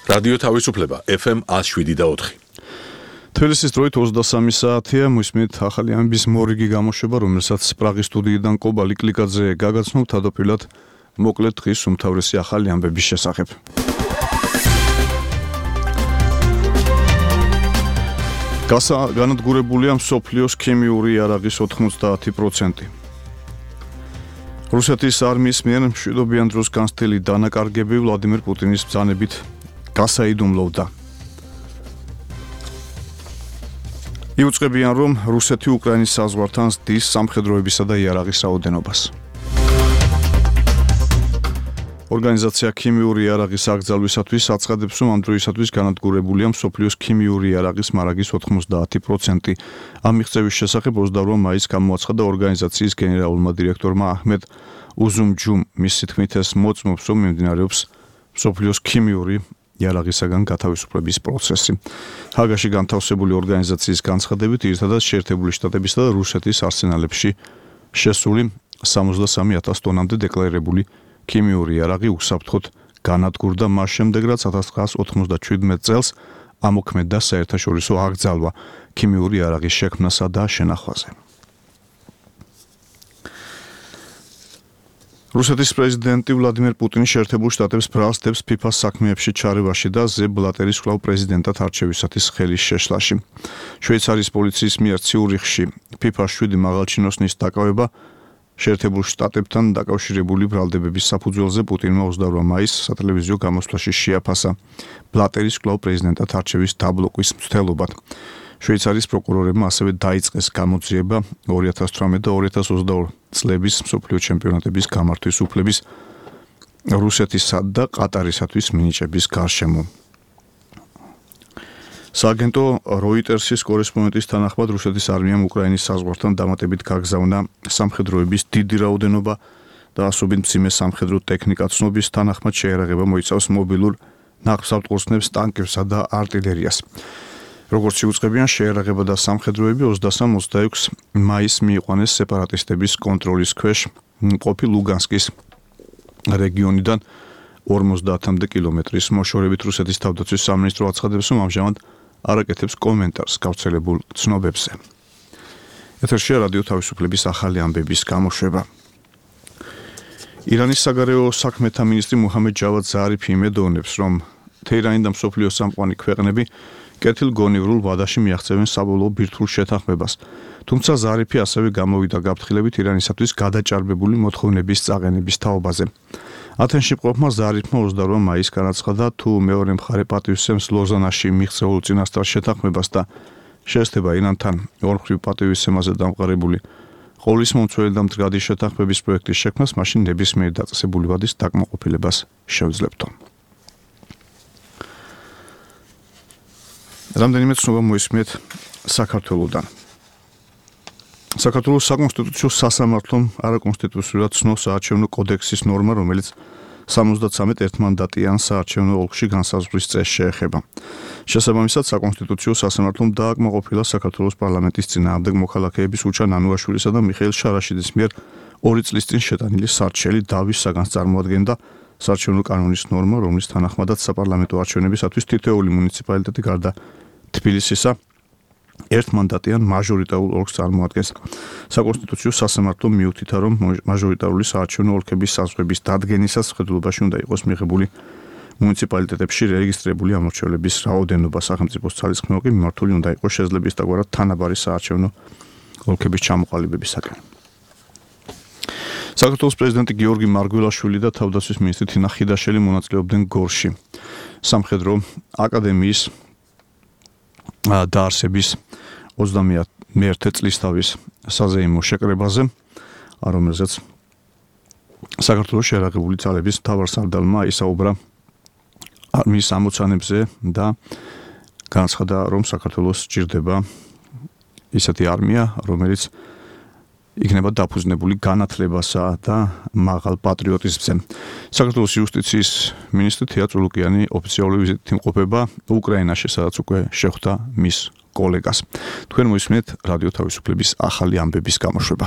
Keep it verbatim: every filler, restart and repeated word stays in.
რადიო თავისუფლება ეფ ემ ათს შვიდი და ოთხი. თბილისის დროით ოცდასამი საათია, მისმით ახალი ამბის მორიგი გამოშვება, რომელსაც პრაღის სტუდიიდან კობა ლიკლიკაძე გაგაცნობთ, თავდაპირველად მოკლედ დღის უმთავრესი ახალი ამბების შესახებ. განადგურებულია მსოფლიოს ქიმიური იარაღის ოთხმოცდაათი პროცენტი. რუსეთის არმიის მიერ მშვიდობიან დროს განცდილი დანაკარგები ვლადიმერ პუტინის ბრძანებით გასაიდუმლოვდა. იუწყებიან, რომ რუსეთი უკრაინის საზღვართან ზრდის სამხედროებისა და იარაღის რაოდენობას. ორგანიზაცია ქიმიური იარაღის აკრძალვისათვის აცხადებს, რომ ამ დროისათვის განადგურებულია მსოფლიოს ქიმიური იარაღის მარაგის ოთხმოცდაათი პროცენტი. ამ მიღწევის შესახებ ოცდაორ მაისს გამოაცხადა ორგანიზაციის გენერალურმა დირექტორმა აჰმედ უზუმჯუმ. მისი თქმით, ეს მოწმობს, რომ მიმდინარეობს მსოფლიოს ქიმიური იარაღისაგან გათავისუფლების პროცესი. ჰაგაში განთავსებული ორგანიზაციის განცხადებით, ერთადაც შეერთებული შტატებისა და რუსეთის არსენალებში შესული სამოცდასამი ათას ტონამდე დეკლარირებული ქიმიური იარაღი უსაფრთხოდ განადგურდა მას შემდეგ, რაც ათას ცხრაასა ოთხმოცდაჩვიდმეტ წელს ამოქმედდა საერთაშორისო აკრძალვა ქიმიური იარაღის შექმნასა და შენახვაზე. რუსეთის პრეზიდენტი ვლადიმერ პუტინი შეერთებულ შტატებს ბრალს დებს ფიფას საქმეებში ჩარევაში და ზებ ბლატერის კვლავ პრეზიდენტად არჩევისათვის ხელის შეშლაში. შვეიცარიის პოლიციის მიერ ციურიხში ფიფას შვიდი მაღალჩინოსნის დაკავება შეერთებულ შტატებთან დაკავშირებული ბრალდებების საფუძველზე პუტინმა ოცდაორ მაისს სატელევიზიო გამოსვლაში შეაფასა ბლატერის კვლავ პრეზიდენტად არჩევის დაბლოკვის მცდელობად. შვეიცარიის პროკურორებმა ასევე დაიწყეს გამოძიება ორი ათას თვრამეტ და ორი ათას ოცდაორი წლების მსოფლიო ჩემპიონატების გამართვის უფლების რუსეთისა და ყატარისათვის მინიჭების გარშემო. სააგენტო როიტერსის კორესპონდენტის თანახმად რუსეთის არმიამ უკრაინის საზღვართან დამატებით გაგზავნა სამხედროების დიდი რაოდენობა და ასობით მძიმე სამხედრო ტექნიკა. ცნობის თანახმად შეერაღება მოიცავს მობილურ ნაყოფსავტყურსნებს, ტანკებსა და არტილერიას. როგორც იუწყებიან, შეერაღება და სამხედროები ოცდასამ ოცდაექვსს მაისს მიიყვანეს სეპარატისტების კონტროლის ქვეშ მყოფი ლუგანსკის რეგიონიდან ორმოცდაათამდე კილომეტრის მოშორებით. რუსეთის თავდაცვის სამინისტრო აცხადებს, რომ ამჟამად არ აკეთებს კომენტარს გავრცელებულ ცნობებზე. ეთერშია რადიო თავისუფლების ახალი ამბების გამოშვება. ირანის საგარეო საქმეთა მინისტრი მუჰამედ ჯავად ზარიფი იმედოვნებს, რომ თეირანი და მსოფლიოს სამყარო ქვეყნები კეთილგონივრულ ვადაში მიაღწევენ საბოლოო ბირთვულ შეთანხმებას. თუმცა ზარიფი ასევე გამოვიდა გაფრთხილებით ირანისათვის გადაჭარბებული მოთხოვნების წაყენების თაობაზე. ათენში მყოფმა ზარიფმა ოცდაორ მაისს განაცხადა, თუ მეორე მხარე პატივისცემს ლოზანაში მიღწეულ წინასწარ შეთანხმებას და შეესწება ირანთან ორმხრივ პატივისცემაზე დამყარებული ყოვლისმომცველი და მდგრადი შეთანხმების პროექტის შექმნას, მაშინ ნებისმიერი დაწესებული ვადის დაკმაყოფილებას შევძლებთო. რამდენიმე ცნობა მოისმენთ საქართველოსდან. საქართველოს საკონსტიტუციო სასამართლომ არაკონსტიტუციურად ცნობს საარჩევნო კოდექსის ნორმა, რომელიც სამოცდათვრამეტ ერთმანდატიან საარჩევნო ოლქში განსაზღვრის წესს შეეხება. შესაბამისად, საკონსტიტუციო სასამართლომ დააკმაყოფილა საქართველოს პარლამენტის წინააღმდეგ მოქალაქეების უჩან ანუაშვილისა და მიხეილ შარაშიძის მიერ ორი წლის წინ შეტანილი სარჩელი დავის საგანს წარმოადგენდა საარჩევნო კანონის ნორმა, რომლის თანახმადაც საპარლამენტო არჩევნებისათვის თითოეული მუნიციპალიტეტი გარდა თბილისისა ერთმანდატიან მაჟორიტარულ ოლქს წარმოადგენს. საკონსტიტუციო სასამართლომ მიუთითა, რომ მაჟორიტარული საარჩევნო ოლქების საზღვრების დადგენისას მხედველობაში უნდა იყოს მიღებული მუნიციპალიტეტებში რეგისტრირებული ამორჩევლების რაოდენობა. სახელმწიფოს ძალისხმევა კი მიმართული უნდა იყოს შეძლების დაგვარად თანაბარი საარჩევნო ოლქების ჩამოყალიბებისაკენ. საქართველოს პრეზიდენტი გიორგი მარგველაშვილი და თავდაცვის მინისტრი თინა ხიდაშელი მონაწილეობდნენ გორში სამხედრო აკადემიის დაარსების ოცდამეერთე წლისთავის საზეიმო შეკრებაზე, რომელზეც საქართველოს შეერაღებული ძალების მთავარსარდალმა ისაუბრა არმიის ამოცანებზე და განაცხადა, რომ საქართველოს სჭირდება ისეთი არმია, რომელიც იქნება დაფუძნებული განათლებასა და მაღალ პატრიოტიზმზე. საქართველოს იუსტიციის მინისტრი თია წულუკიანი ოფიციალური ვიზიტით იმყოფება უკრაინაში, სადაც უკვე შეხვდა მის კოლეგას. თქვენ მოისმენთ რადიო თავისუფლების ახალი ამბების გამოშვება.